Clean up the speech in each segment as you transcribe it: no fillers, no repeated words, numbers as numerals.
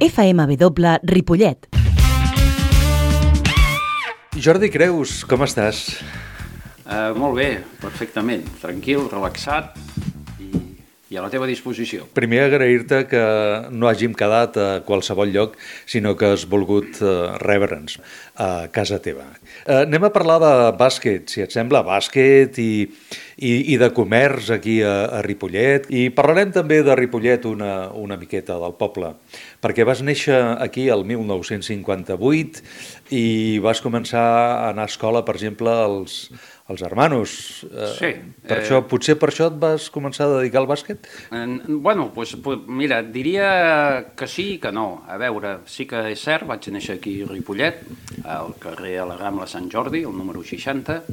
FMW Ripollet. Jordi Creus, com estàs? Molt bé, perfectament. Tranquil, relaxat i a la teva disposició. Primer agrair-te que no hàgim quedat a qualsevol lloc, sinó que has volgut rebre'ns a casa teva. Anem a parlar de bàsquet, si et sembla, bàsquet i de comerç aquí a Ripollet. I parlarem també de Ripollet una miqueta del poble, perquè vas néixer aquí el 1958 i vas començar a anar a escola, per exemple, als Hermanos. Sí. Potser per això et vas començar a dedicar al bàsquet? Bueno, mira, diria que sí i que no. A veure, sí que és cert, vaig néixer aquí a Ripollet, al carrer a la Rambla Sant Jordi, el número 60.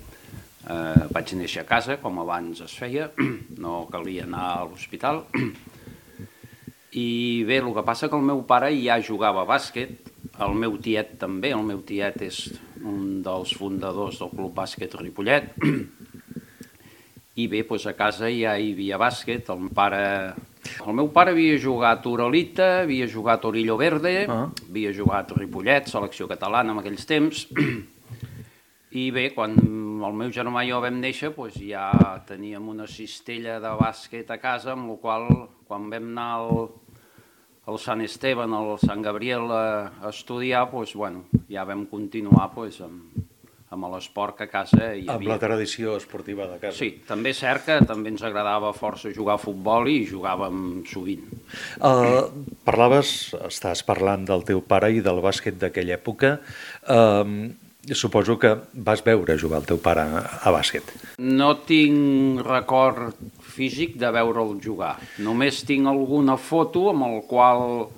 Vaig néixer a casa, com abans es feia, no calia anar a l'hospital. I bé, el que passa que el meu pare ja jugava a bàsquet, el meu tiet també, el meu tiet és un dels fundadors del Club Bàsquet Ripollet, i bé, doncs a casa ja hi havia bàsquet. El meu pare havia jugat a Uralita, havia jugat a Orillo Verde, havia jugat a Ripollet, selecció catalana en aquells temps, i bé, quan el meu germà i jo vam néixer, doncs ja teníem una cistella de bàsquet a casa, amb la qual quan vam anar al Sant Esteban, al Sant Gabriel a estudiar, doncs, bueno, ja vam continuar amb l'esport que a casa hi havia. Amb la tradició esportiva de casa. Sí, també és cert que també ens agradava força jugar a futbol i jugàvem sovint. Estàs parlant del teu pare i del bàsquet d'aquella època. Suposo que vas veure jugar el teu pare a bàsquet. No tinc record físic de veure'l jugar. Només tinc alguna foto amb el qual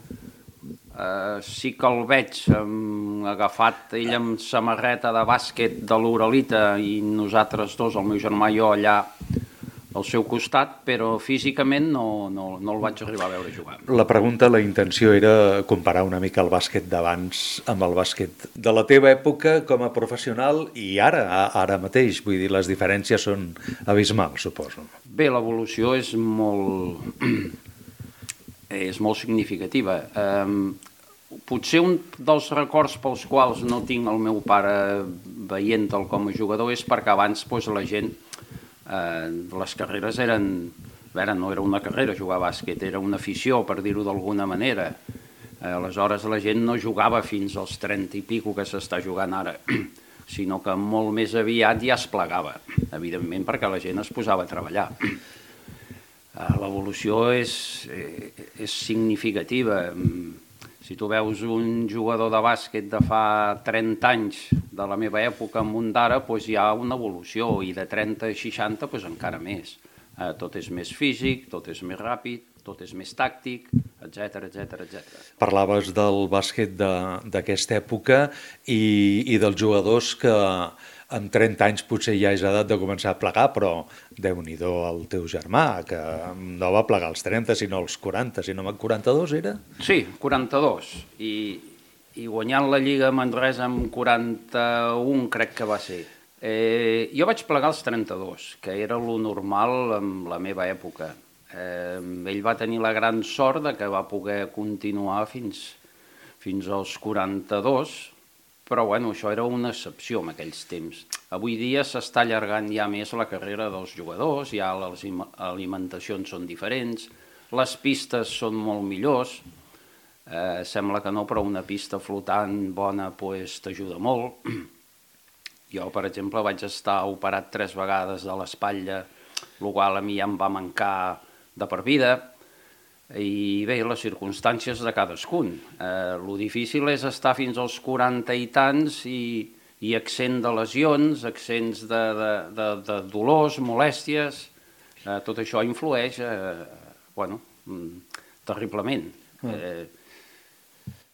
sí que el veig agafat ell amb samarreta de bàsquet de l'Uralita i nosaltres dos, el meu germà i jo, allà al seu costat, però físicament no el vaig arribar a veure jugar. La pregunta, la intenció era comparar una mica el bàsquet d'abans amb el bàsquet de la teva època com a professional i ara mateix. Vull dir, les diferències són abismals, suposo. Bé, l'evolució és molt significativa. Potser un dels records pels quals no tinc el meu pare veient-el com a jugador és perquè abans la gent, les carreres no era una carrera jugar a bàsquet, era una afició, per dir-ho d'alguna manera. Aleshores la gent no jugava fins als 30 i pico que s'està jugant ara, sinó que molt més aviat ja es plegava, evidentment perquè la gent es posava a treballar. L'evolució és significativa. Si tu veus un jugador de bàsquet de fa 30 anys de la meva època amb un d'ara, doncs hi ha una evolució, i de 30 a 60 doncs encara més. Tot és més físic, tot és més ràpid, tot és més tàctic, etc. Parlaves del bàsquet d'aquesta època i dels jugadors que amb 30 anys potser ja és edat de començar a plegar, però Déu-n'hi-do el teu germà, que no va plegar als 30, sinó als 40, si no 42 era? Sí, 42, i guanyant la Lliga Manresa amb 41 crec que va ser. Jo vaig plegar als 32, que era lo normal en la meva època. Ell va tenir la gran sort de que va poder continuar fins als 42, però bueno, això era una excepció en aquells temps. Avui dia s'està allargant ja més la carrera dels jugadors, ja les alimentacions són diferents, les pistes són molt millors, sembla que no, però una pista flotant bona t'ajuda molt. Jo, per exemple, vaig estar operat 3 vegades de l'espatlla, el qual a mi ja em va mancar de per vida, i bé, les circumstàncies de cadascun. Lo difícil és estar fins als 40 i tants i accent de lesions, accents de dolors, molèsties, tot això influeix, terriblement.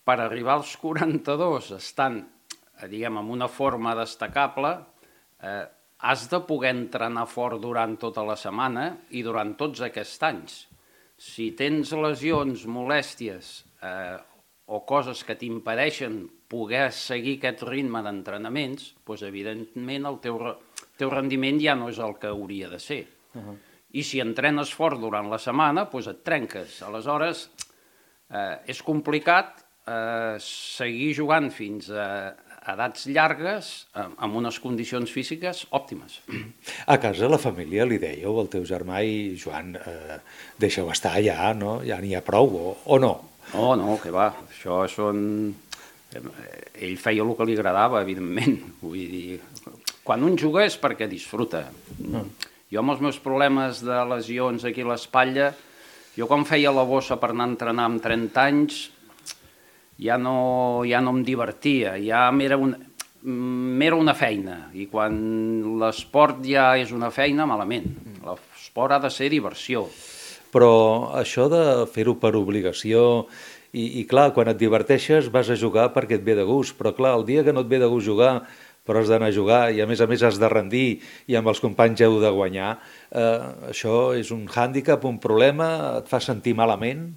Per arribar als 42 estant, diguem, en una forma destacable, has de poder entrenar fort durant tota la setmana i durant tots aquests anys. Si tens lesions, molèsties o coses que t'impedeixen poder seguir aquest ritme d'entrenaments, doncs evidentment el teu rendiment ja no és el que hauria de ser. I si entrenes fort durant la setmana, doncs et trenques. Aleshores, és complicat seguir jugant fins a edats llargues amb unes condicions físiques òptimes. A casa la família li dèieu al teu germà i Joan, deixeu estar ja, no? Ja n'hi ha prou, o no? No, que va, això són... Ell feia el que li agradava, evidentment. Vull dir, quan un juga és perquè disfruta. Jo amb els meus problemes de lesions aquí a l'espatlla, jo quan feia la bossa per anar a entrenar amb 30 anys, ja no em divertia, ja m'era una feina, i quan l'esport ja és una feina, malament. L'esport ha de ser diversió. Però això de fer-ho per obligació, i clar, quan et diverteixes vas a jugar perquè et ve de gust, però clar, el dia que no et ve de gust jugar, però has d'anar a jugar i a més has de rendir i amb els companys heu de guanyar, això és un hàndicap, un problema, et fa sentir malament?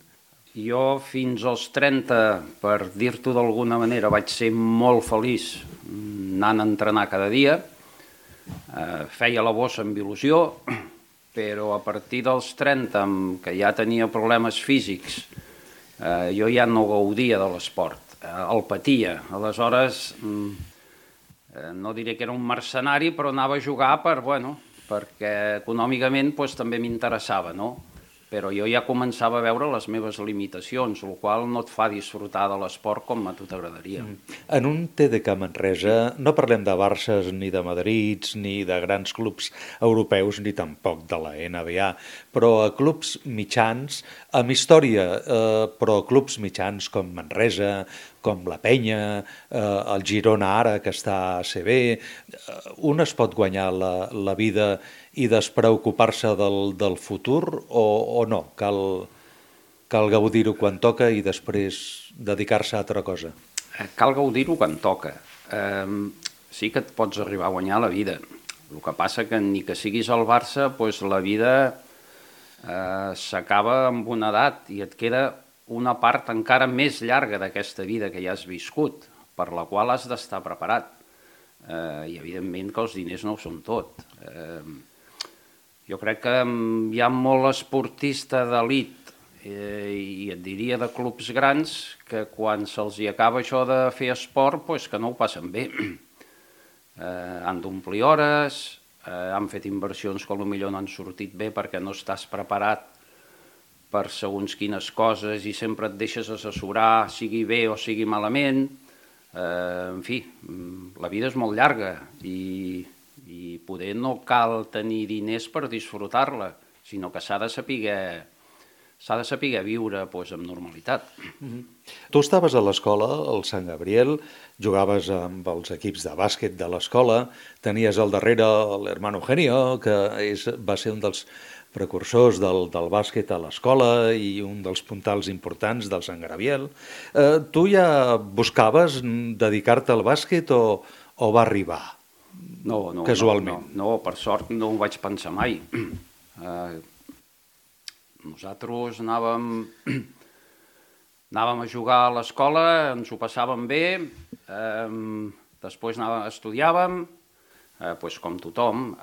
Jo fins als 30, per dir-t'ho d'alguna manera, vaig ser molt feliç anant a entrenar cada dia. Feia la bossa amb il·lusió, però a partir dels 30, que ja tenia problemes físics, jo ja no gaudia de l'esport, el patia. Aleshores, no diré que era un mercenari, però anava a jugar perquè econòmicament també m'interessava, no? Però jo ja començava a veure les meves limitacions, el qual no et fa disfrutar de l'esport com a tu t'agradaria. En un TDK Manresa no parlem de Barces ni de Madrids ni de grans clubs europeus ni tampoc de la NBA, però a clubs mitjans, amb història, però clubs mitjans com Manresa, com la Penya, el Girona ara que està a ACB, un es pot guanyar la vida i despreocupar-se del futur o no? Cal gaudir-ho quan toca i després dedicar-se a altra cosa? Cal gaudir-ho quan toca. Sí que et pots arribar a guanyar la vida. El que passa que ni que siguis al Barça, la vida s'acaba amb una edat i et queda una part encara més llarga d'aquesta vida que ja has viscut, per la qual has d'estar preparat. I evidentment que els diners no ho són tot. Jo crec que hi ha molt esportista d'elit i et diria de clubs grans que quan se'ls acaba això de fer esport, que no ho passen bé. Han d'omplir hores, han fet inversions que potser no han sortit bé perquè no estàs preparat per segons quines coses i sempre et deixes assessorar, sigui bé o sigui malament. En fi, la vida és molt llarga i poder no cal tenir diners per disfrutar-la, sinó que s'ha de saber viure amb normalitat. Tu estaves a l'escola, al Sant Gabriel, jugaves amb els equips de bàsquet de l'escola, tenies al darrere l'hermano Eugenio, que va ser un dels precursors del bàsquet a l'escola i un dels puntals importants del Sant Gabriel. Tu ja buscaves dedicar-te al bàsquet o va arribar? No, casualment. No, per sort no ho vaig pensar mai. Nosaltres anàvem a jugar a l'escola, ens ho passàvem bé, després estudiàvem, com tothom.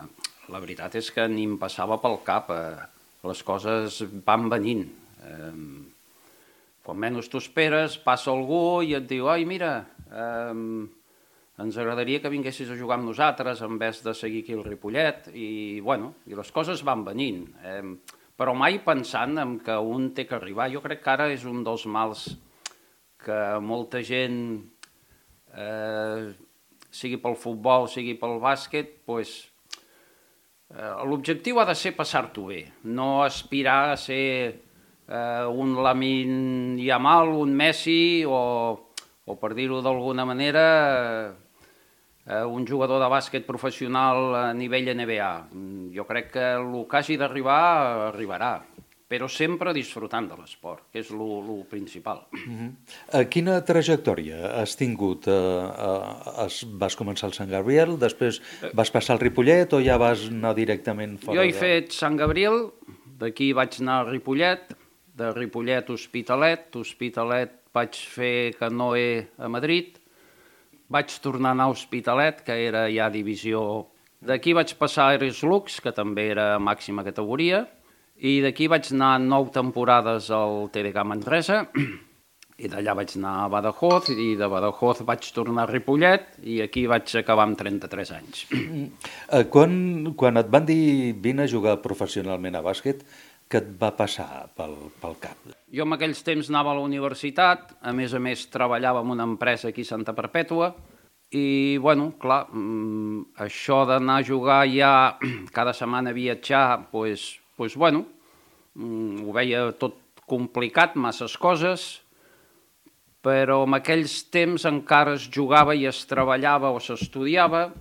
La veritat és que ni em passava pel cap, les coses van venint. Quan menys t'ho esperes, passa algú i et diu «Ai, mira, ens agradaria que vinguessis a jugar amb nosaltres en vez de seguir aquí al Ripollet», i les coses van venint. Però mai pensant en que un té que arribar. Jo crec que ara és un dels mals que molta gent, sigui pel futbol, sigui pel bàsquet, l'objectiu ha de ser passar-t'ho bé, no aspirar a ser un Lamine Yamal, un Messi o per dir-ho d'alguna manera, un jugador de bàsquet professional a nivell NBA. Jo crec que el que hagi d'arribar, arribarà, però sempre disfrutant de l'esport, que és el principal. Quina trajectòria has tingut? Vas començar al Sant Gabriel, després vas passar al Ripollet o ja vas anar directament fora? Jo he fet Sant Gabriel, d'aquí vaig anar a Ripollet, de Ripollet Hospitalet vaig fer Canoe a Madrid, vaig tornar a anar a Hospitalet, que era ja divisió. D'aquí vaig passar a Aires Lux, que també era màxima categoria, i d'aquí vaig anar 9 temporades al TDK Manresa, I d'allà vaig anar a Badajoz, i de Badajoz vaig tornar a Ripollet, i aquí vaig acabar amb 33 anys. Quan et van dir vine a jugar professionalment a bàsquet, què et va passar pel cap? Jo en aquells temps anava a la universitat, a més treballava en una empresa aquí a Santa Perpètua, i, bueno, clar, això d'anar a jugar ja cada setmana a viatjar, doncs, bueno, ho veia tot complicat, masses coses, però en aquells temps encara es jugava i es treballava o s'estudiava,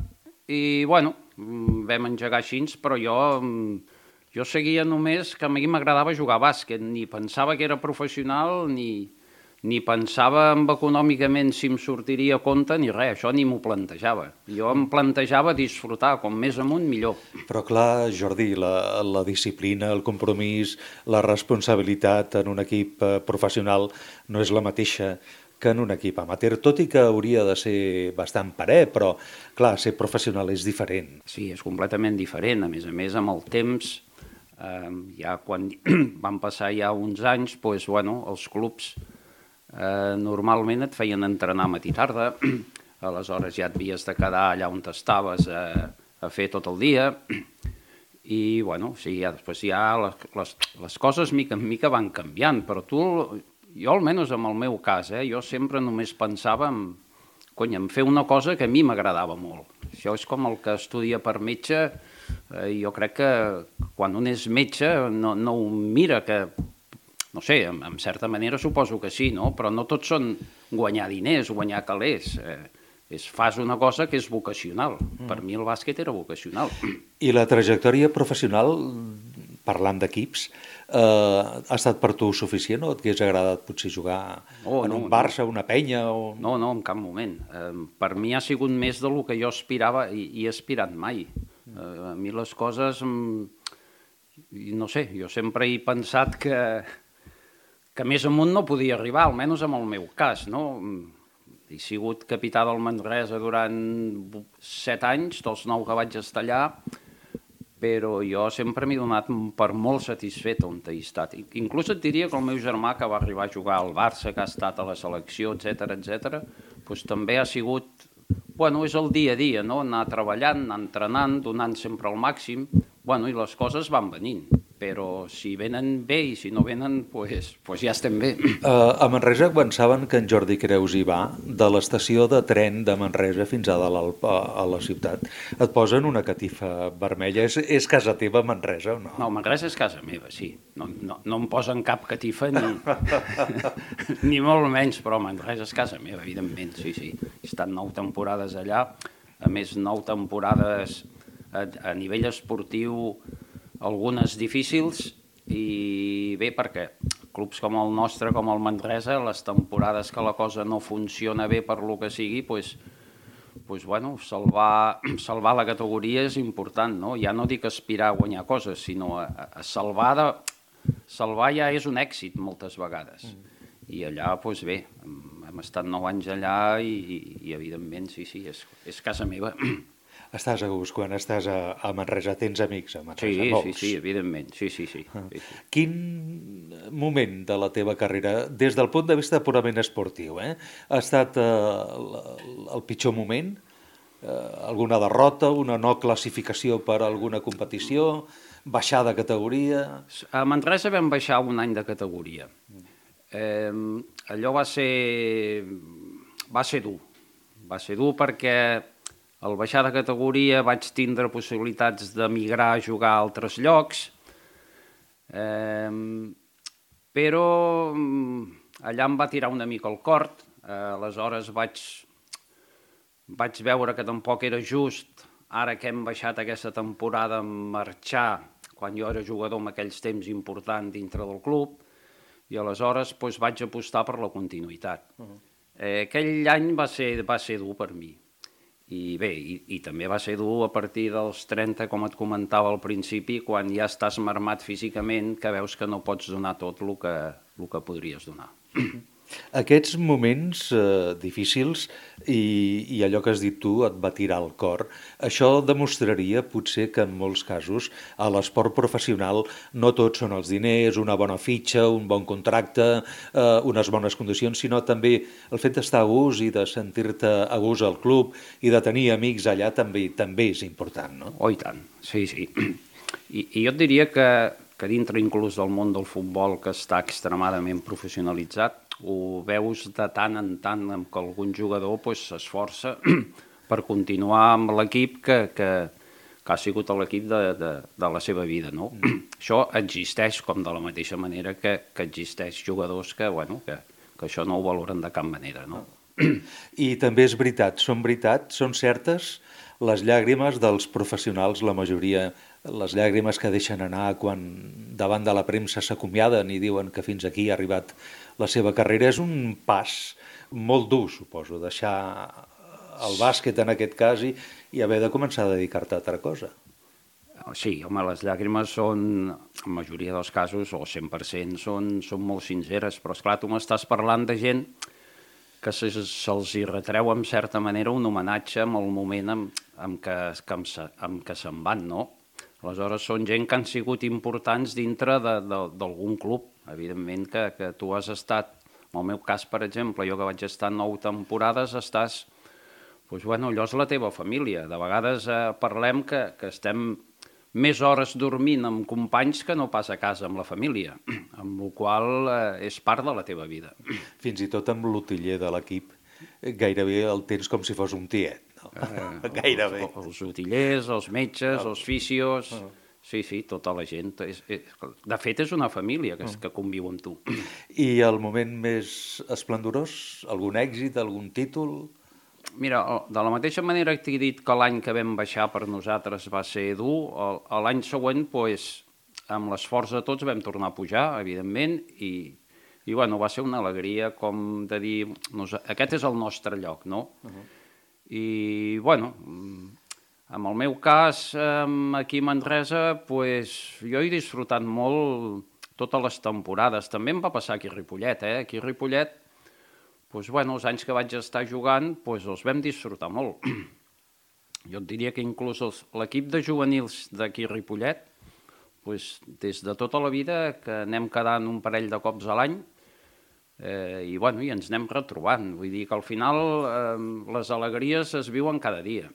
i, bueno, vam engegar així, però jo seguia només que a mi m'agradava jugar a bàsquet, ni pensava que era professional, ni pensava econòmicament si em sortiria a compte, ni res, això ni m'ho plantejava. Jo em plantejava disfrutar, com més amunt millor. Però clar, Jordi, la disciplina, el compromís, la responsabilitat en un equip professional no és la mateixa que en un equip amateur, tot i que hauria de ser bastant parell, però clar, ser professional és diferent. Sí, és completament diferent. A més, amb el temps, ja quan van passar ja uns anys, doncs, bueno, els clubs normalment et feien entrenar matí i tarda, aleshores ja et havies de quedar allà on estaves a fer tot el dia, i bueno, sí, ja després ja les coses mica en mica van canviant, però jo almenys en el meu cas, jo sempre només pensava en fer una cosa que a mi m'agradava molt. Això és com el que estudia per metge, jo crec que quan un és metge no ho mira, que no sé, en certa manera suposo que sí, no? Però no tots són guanyar diners, guanyar calés. Fas una cosa que és vocacional. Per mi el bàsquet era vocacional. I la trajectòria professional, parlant d'equips, ha estat per tu suficient o et hagués agradat potser jugar en un Barça, una Penya? No, en cap moment. Per mi ha sigut més del que jo aspirava i he aspirat mai. A mi les coses, no sé, jo sempre he pensat que més amunt no podia arribar, almenys en el meu cas, no? He sigut capità del Manresa durant 7 anys, dels 9 que vaig estar allà, però jo sempre m'he donat per molt satisfet on he estat. Inclús et diria que el meu germà, que va arribar a jugar al Barça, que ha estat a la selecció, etc., doncs també ha sigut, bueno, és el dia a dia, no? Anar treballant, anar entrenant, donant sempre el màxim, bueno, i les coses van venint. Però si venen bé i si no venen, doncs ja estem bé. A Manresa, quan saben que en Jordi Creus hi va, de l'estació de tren de Manresa fins a dalt a la ciutat, et posen una catifa vermella. És casa teva, Manresa, o no? No, Manresa és casa meva, sí. No em posen cap catifa ni molt menys, però Manresa és casa meva, evidentment, sí. He estat 9 temporades allà, a més 9 temporades a nivell esportiu, algunes difícils, i bé, perquè clubs com el nostre, com el Manresa, les temporades que la cosa no funciona bé per lo que sigui, bueno, salvar la categoria és important, no? Ja no dic aspirar a guanyar coses, sinó a salvar ja és un èxit moltes vegades. I allà, doncs bé, hem estat 9 anys allà i evidentment, sí, és casa meva. Estàs a gust quan estàs a Manresa, tens amics a Manresa, molts. Sí, evidentment, sí. Quin moment de la teva carrera, des del punt de vista purament esportiu, ha estat el pitjor moment? Alguna derrota, una no classificació per alguna competició, baixar de categoria? A Manresa vam baixar un any de categoria. Allò va ser dur perquè al baixar de categoria vaig tindre possibilitats d'emigrar a jugar a altres llocs, però allà em va tirar una mica el cort, aleshores vaig veure que tampoc era just, ara que hem baixat aquesta temporada, marxar, quan jo era jugador en aquells temps important dintre del club, i aleshores vaig apostar per la continuïtat. Aquell any va ser dur per mi. I bé, i també va ser dur a partir dels 30, com et comentava al principi, quan ja estàs marmat físicament, que veus que no pots donar tot el que podries donar. Aquests moments difícils i allò que has dit tu et va tirar al cor, això demostraria potser que en molts casos a l'esport professional no tots són els diners, una bona fitxa, un bon contracte, unes bones condicions, sinó també el fet d'estar a gust i de sentir-te a gust al club i de tenir amics allà també és important, no? Oh, i tant, sí. I jo et diria que dintre inclús del món del futbol, que està extremadament professionalitzat, ho veus de tant en tant que algun jugador s'esforça per continuar amb l'equip que ha sigut l'equip de la seva vida, no? Això existeix com de la mateixa manera que existeix jugadors que això no ho valoren de cap manera, no? I també és veritat, són certes les llàgrimes dels professionals, la majoria, les llàgrimes que deixen anar quan davant de la premsa s'acomiaden i diuen que fins aquí ha arribat la seva carrera. És un pas molt dur, suposo, deixar el bàsquet en aquest cas i haver de començar a dedicar-te a altra cosa. Sí, home, les llàgrimes són, en majoria dels casos, o 100%, són molt sinceres, però esclar, tu m'estàs parlant de gent que se'ls hi retreu en certa manera un homenatge en el moment en què se'n van, no? Aleshores, són gent que han sigut importants dintre d'algun club. Evidentment que tu has estat, en el meu cas, per exemple, jo que vaig estar 9 temporades, estàs... Doncs, allò és la teva família. De vegades parlem que estem més hores dormint amb companys que no pas a casa amb la família, amb la qual cosa és part de la teva vida. Fins i tot amb l'utiller de l'equip, gairebé el tens com si fos un tiet, no? Gairebé. Els utillers, els metges, els fisios... Sí, tota la gent. De fet, és una família que conviu amb tu. I el moment més esplendorós? Algun èxit, algun títol? Mira, de la mateixa manera que t'he dit que l'any que vam baixar per nosaltres va ser dur, l'any següent, amb l'esforç de tots, vam tornar a pujar, evidentment, i va ser una alegria com de dir, aquest és el nostre lloc, no? I, en el meu cas, aquí a Manresa, jo he disfrutat molt totes les temporades. També em va passar aquí a Ripollet, Aquí a Ripollet, els anys que vaig estar jugant, els vam disfrutar molt. Jo et diria que inclús l'equip de juvenils d'aquí a Ripollet, des de tota la vida, que anem quedant un parell de cops a l'any, i ens anem retrobant. Vull dir que al final les alegries es viuen cada dia.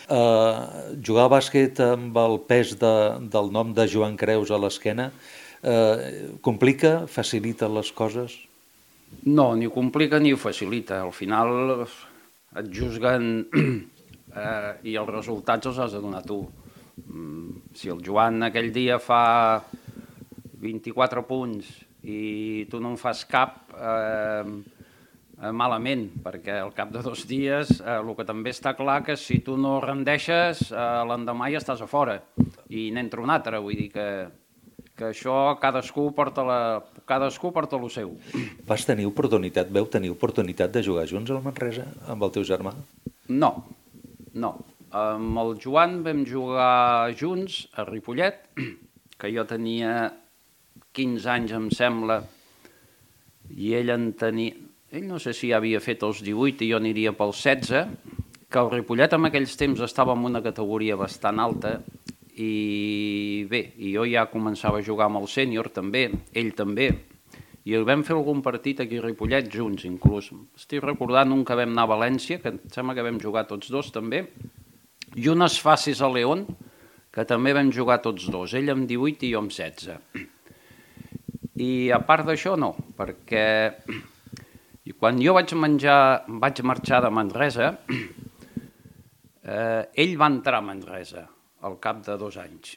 Jugar a bàsquet amb el pes del nom de Joan Creus a l'esquena complica, facilita les coses? No, ni ho complica ni ho facilita. Al final et juzguen i els resultats els has de donar tu. Si el Joan aquell dia fa 24 punts i tu no en fas cap, malament, perquè al cap de 2 dies el que també està clar que si tu no rendeixes, l'endemà ja estàs a fora i n'entra un altre. Vull dir que això cadascú porta el seu. Vau tenir oportunitat de jugar junts al Manresa amb el teu germà? No. Amb el Joan vam jugar junts a Ripollet, que jo tenia 15 anys, em sembla, i ell no sé si ja havia fet els 18 i jo aniria pels 16, que el Ripollet en aquells temps estava en una categoria bastant alta, i jo ja començava a jugar amb el sènior també, ell també, i vam fer algun partit aquí a Ripollet junts inclús. Estic recordant un que vam anar a València, que em sembla que vam jugar tots dos també, i unes fases a León, que també vam jugar tots dos, ell amb 18 i jo amb 16. I a part d'això no, perquè quan jo vaig marxar de Manresa, ell va entrar a Manresa al cap de 2 anys.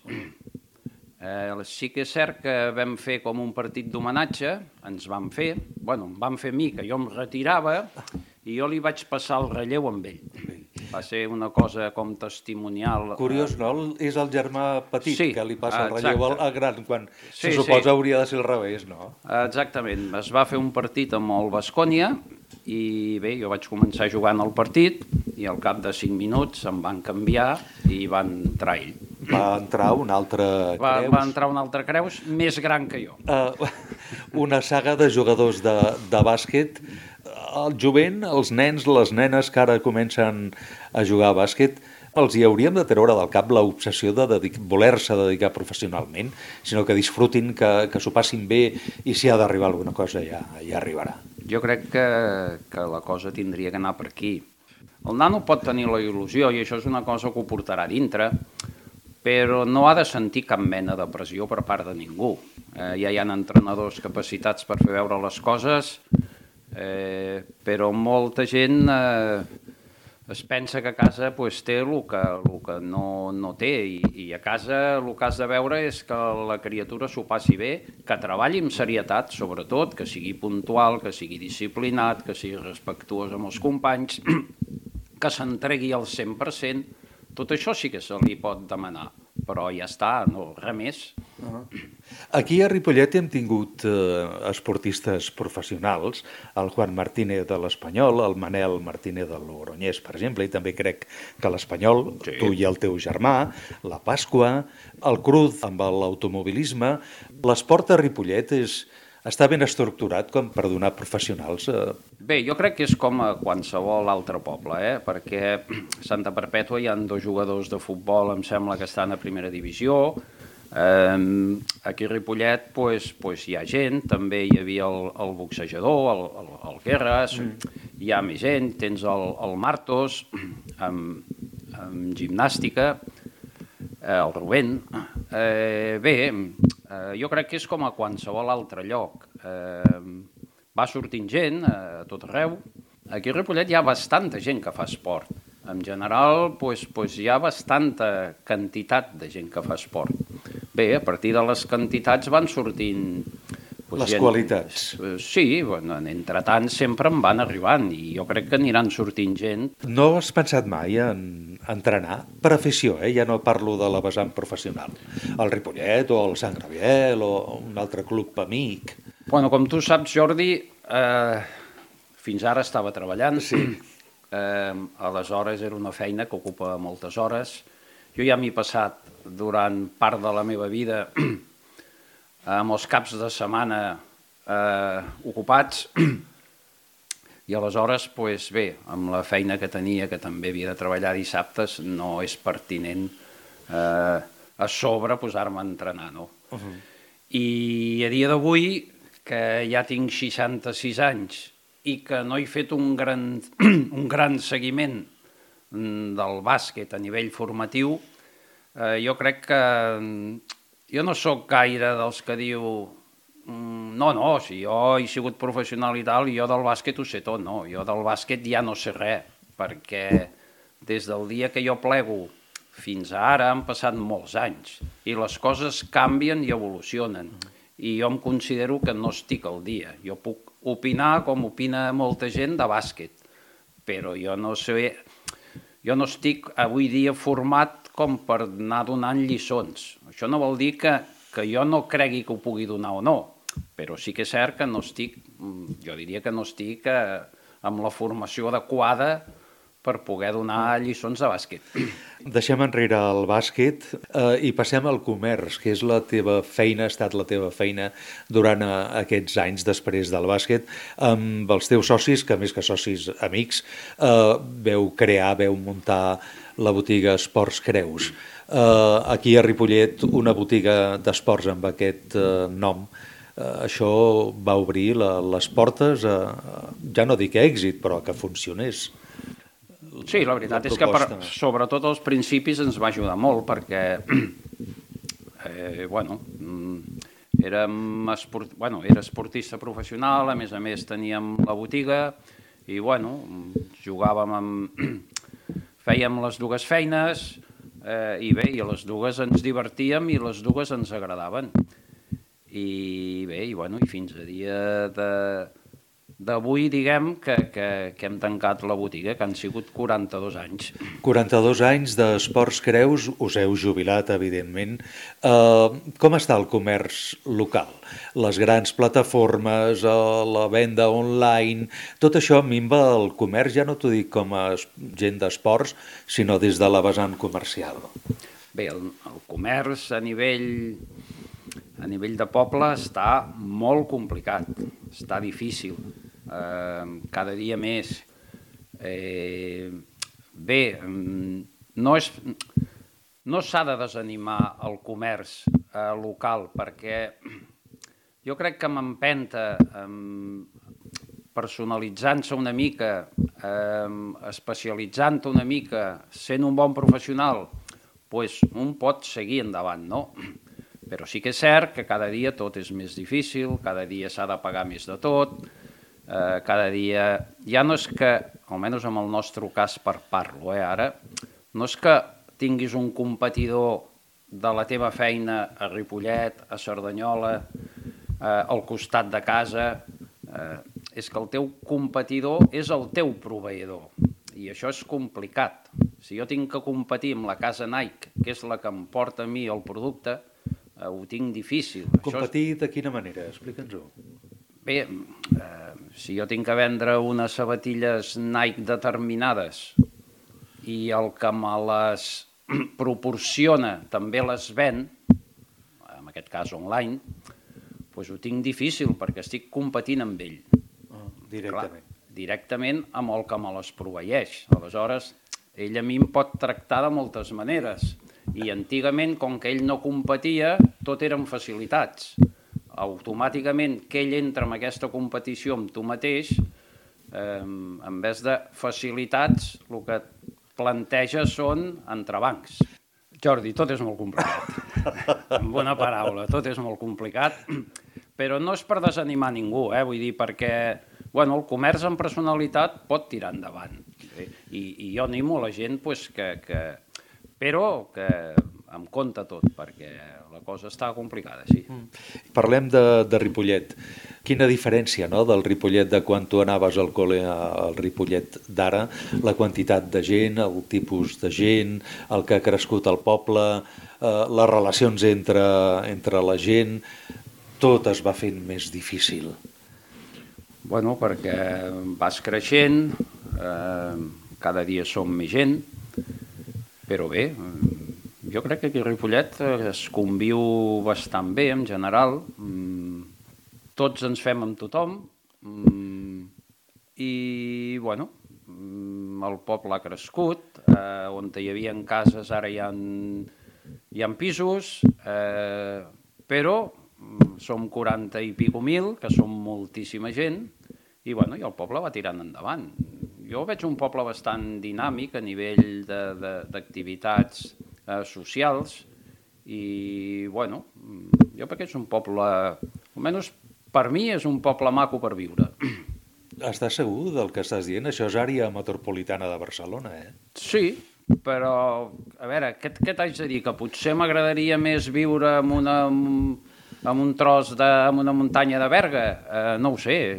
Sí que és cert que vam fer com un partit d'homenatge, em van fer a mi, que jo em retirava, i jo li vaig passar el relleu amb ell. Va ser una cosa com testimonial. Curiós, no? És el germà petit que li passa el relleu al gran, quan se suposa hauria de ser al revés, no? Exactament. Es va fer un partit amb el Baskonia i jo vaig començar jugant el partit i al cap de 5 minuts em van canviar i van entrar ell. va entrar un altre Creus. Va entrar un altre Creus més gran que jo. Una saga de jugadors de bàsquet. El jovent, els nens, les nenes que ara comencen a jugar a bàsquet, els hi hauríem de treure del cap l'obsessió de voler-se dedicar professionalment, sinó que disfrutin, que s'ho passin bé, i si ha d'arribar alguna cosa ja arribarà. Jo crec que la cosa tindria que anar per aquí. El nano pot tenir la il·lusió, i això és una cosa que ho portarà dintre, però no ha de sentir cap mena de pressió per part de ningú. Ja hi ha entrenadors capacitats per fer veure les coses, però molta gent es pensa que a casa té el que no té, i a casa el que has de veure és que la criatura s'ho passi bé, que treballi amb serietat, sobretot, que sigui puntual, que sigui disciplinat, que sigui respectuós amb els companys, que s'entregui al 100%, tot això sí que se li pot demanar, però ja està, no, res més. Aquí a Ripollet hem tingut esportistes professionals, el Juan Martínez de l'Espanyol, el Manel Martínez de l'Oronyès, per exemple, i també crec que l'Espanyol, sí. Tu i el teu germà, la Pasqua, el Cruz amb l'automobilisme. L'esport a Ripollet està ben estructurat com per donar professionals. Bé, jo crec que és com a qualsevol altre poble, perquè a Santa Perpètua hi ha 2 jugadors de futbol, em sembla que estan a primera divisió. Aquí a Ripollet hi ha gent, també hi havia el boxejador, el Guerres, hi ha més gent, tens el Martos amb gimnàstica, el Rubén. Bé, jo crec que és com a qualsevol altre lloc. Va sortint gent a tot arreu. Aquí a Ripollet hi ha bastanta gent que fa esport. En general, hi ha bastanta quantitat de gent que fa esport. Bé, a partir de les quantitats van sortint... Les qualitats. Sí, entre tant sempre en van arribant, i jo crec que aniran sortint gent. No has pensat mai en entrenar per afició, ja no parlo de la vessant professional, el Ripollet o el Sant Graviel o un altre club amic? Bueno, com tu saps, Jordi, fins ara estava treballant. Sí. Aleshores era una feina que ocupa moltes hores. Jo ja m'he passat durant part de la meva vida amb els caps de setmana ocupats, i aleshores, bé, amb la feina que tenia, que també havia de treballar dissabtes, no és pertinent a sobre posar-me a entrenar, no? I a dia d'avui, que ja tinc 66 anys i que no he fet un gran seguiment del bàsquet a nivell formatiu, jo crec que jo no sóc gaire dels que diu no, si jo he sigut professional i tal, jo del bàsquet ho sé tot, no, jo del bàsquet ja no sé res, perquè des del dia que jo plego fins a ara han passat molts anys i les coses canvien i evolucionen, i jo em considero que no estic al dia. Jo puc opinar com opina molta gent de bàsquet, però jo no sé, jo no estic avui dia format com per anar donant lliçons. Això no vol dir que jo no cregui que ho pugui donar o no, però sí que és cert que no estic, jo diria que no estic amb la formació adequada per poder donar lliçons de bàsquet. Deixem enrere el bàsquet i passem al comerç, que és la teva feina, ha estat la teva feina durant aquests anys després del bàsquet, amb els teus socis, que més que socis amics, veu muntar la botiga Esports Creus. Aquí a Ripollet, una botiga d'esports amb aquest nom, això va obrir les portes a, ja no dic èxit, però que funcionés. Sí, la veritat és que sobretot als principis ens va ajudar molt, perquè era esportista professional, a més teníem la botiga i jugàvem fèiem les dues feines i bé, i les dues ens divertíem i les dues ens agradaven. I bé, i fins a dia d'avui, diguem, que hem tancat la botiga, que han sigut 42 anys. 42 anys d'Esports Creus, us heu jubilat, evidentment. Com està el comerç local? Les grans plataformes, la venda online, tot això minva el comerç, ja no t'ho dic com a gent d'esports, sinó des de la vessant comercial. Bé, el comerç a nivell de poble està molt complicat, està difícil, cada dia més. Bé, no s'ha de desanimar el comerç local, perquè jo crec que m'empenta, personalitzant-se una mica, especialitzant-te una mica, sent un bon professional, doncs un pot seguir endavant, no? Però sí que és cert que cada dia tot és més difícil, cada dia s'ha de pagar més de tot, cada dia... Ja no és que, almenys en el nostre cas parlo, ara, no és que tinguis un competidor de la teva feina a Ripollet, a Cerdanyola, al costat de casa, és que el teu competidor és el teu proveïdor, i això és complicat. Si jo tinc que competir amb la casa Nike, que és la que em porta a mi el producte, ho tinc difícil. Competir de quina manera? Explica'ns-ho. Bé, si jo tinc que vendre unes sabatilles Nike determinades i el que me les proporciona també les ven, en aquest cas online, doncs ho tinc difícil perquè estic competint amb ell. Directament. Clar, directament amb el que me les proveeix. Aleshores, ell a mi em pot tractar de moltes maneres. I antigament, com que ell no competia, tot eren facilitats. Automàticament que ell entra en aquesta competició amb tu mateix, en vez de facilitats, el que planteja són entrebancs. Jordi, tot és molt complicat. En bona paraula, tot és molt complicat, però no és per desanimar ningú, vull dir, perquè el comerç amb personalitat pot tirar endavant. I jo animo a la gent però que em compte tot, perquè la cosa està complicada, sí. Parlem de Ripollet. Quina diferència, no?, del Ripollet de quan tu anaves al col·le al Ripollet d'ara, la quantitat de gent, el tipus de gent, el que ha crescut al poble, les relacions entre la gent, tot es va fent més difícil. Bueno, perquè vas creixent, cada dia som més gent, però bé, jo crec que aquí a Ripollet es conviu bastant bé en general, tots ens fem amb tothom i, bueno, el poble ha crescut, on hi havia cases ara hi ha pisos, però som 40 i pico mil, que som moltíssima gent, i el poble va tirant endavant. Jo veig un poble bastant dinàmic a nivell d'activitats socials i, jo crec que és un poble, almenys per mi és un poble maco per viure. Estàs segur del que estàs dient? Això és àrea metropolitana de Barcelona, Sí, però, a veure, què t'haig de dir? Que potser m'agradaria més viure en un tros amb una muntanya de Berga? No ho sé.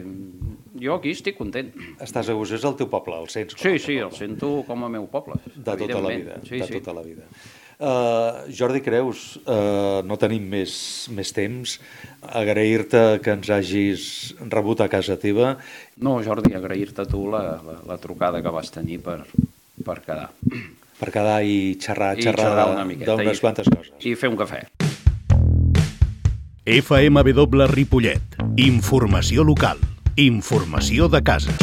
Jo aquí estic content. Estàs a gust, és el teu poble, el sents? Sí, el sento com a meu poble. De tota la vida, tota la vida. Jordi Creus, no tenim més temps. Agrair-te que ens hagis rebut a casa teva. No, Jordi, agrair-te tu la trucada que vas tenir per quedar. Per quedar i xerrar una miqueta, d'unes quantes coses. I fer un cafè. FMW Ripollet. Informació local. Informació de casa.